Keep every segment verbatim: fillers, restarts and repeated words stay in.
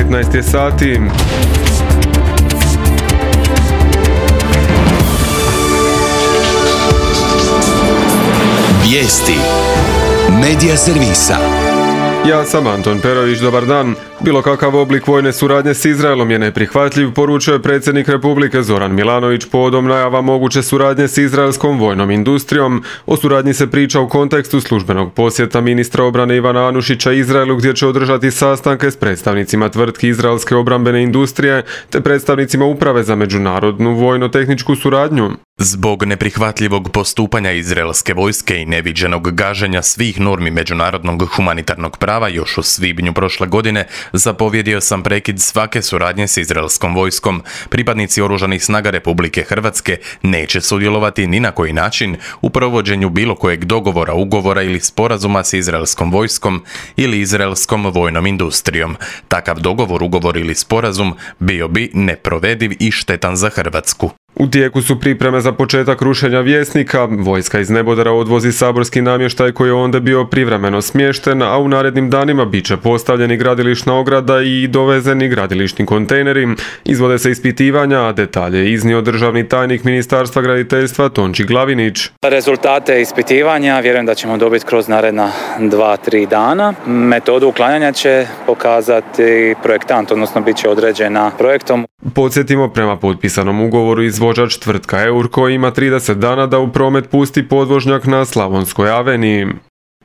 petnaest je sati. Vijesti Medija servisa. Ja sam Anton Perović, dobar dan. Bilo kakav oblik vojne suradnje s Izraelom je neprihvatljiv, poručio je predsjednik Republike Zoran Milanović povodom najava moguće suradnje s izraelskom vojnom industrijom. O suradnji se priča u kontekstu službenog posjeta ministra obrane Ivana Anušića Izraelu, gdje će održati sastanke s predstavnicima tvrtki izraelske obrambene industrije te predstavnicima Uprave za međunarodnu vojno-tehničku suradnju. Zbog neprihvatljivog postupanja izraelske vojske i neviđenog gaženja svih normi međunarodnog humanitarnog prava još u svibnju prošle godine, zapovjedio sam prekid svake suradnje s izraelskom vojskom. Pripadnici Oružanih snaga Republike Hrvatske neće sudjelovati ni na koji način u provođenju bilo kojeg dogovora, ugovora ili sporazuma s izraelskom vojskom ili izraelskom vojnom industrijom. Takav dogovor, ugovor ili sporazum bio bi neprovediv i štetan za Hrvatsku. U tijeku su pripreme za početak rušenja Vjesnika. Vojska iz nebodera odvozi saborski namještaj koji je onda bio privremeno smješten, a u narednim danima bit će postavljeni gradilišna ograda i dovezeni gradilišni kontejneri. Izvode se ispitivanja, a detalje je iznio državni tajnik Ministarstva graditeljstva Tonči Glavinić. Rezultate ispitivanja vjerujem da ćemo dobiti kroz naredna dva, tri dana. Metodu uklanjanja će pokazati projektant, odnosno bit će određena projektom. Podsjetimo, prema potpisanom ugovoru izvođač tvrtka Eurko ima trideset dana da u promet pusti podvožnjak na Slavonskoj aveniji.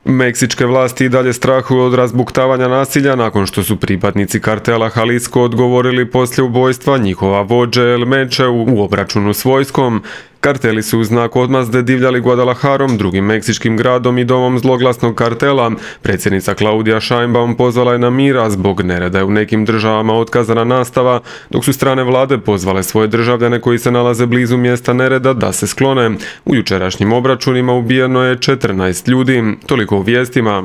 Meksičke vlasti i dalje strahuju od razbuktavanja nasilja nakon što su pripadnici kartela Jalisco odgovorili poslije ubojstva njihova vođe El Meche u obračunu s vojskom. Karteli su u znak odmazde divljali Guadalajarom, drugim meksičkim gradom i domom zloglasnog kartela. Predsjednica Claudia Sheinbaum pozvala je na mir, a zbog nereda je u nekim državama otkazana nastava, dok su strane vlade pozvale svoje državljane koji se nalaze blizu mjesta nereda da se sklone. U jučerašnjim obračunima ubijeno je četrnaest ljudi. Toliko u vijestima.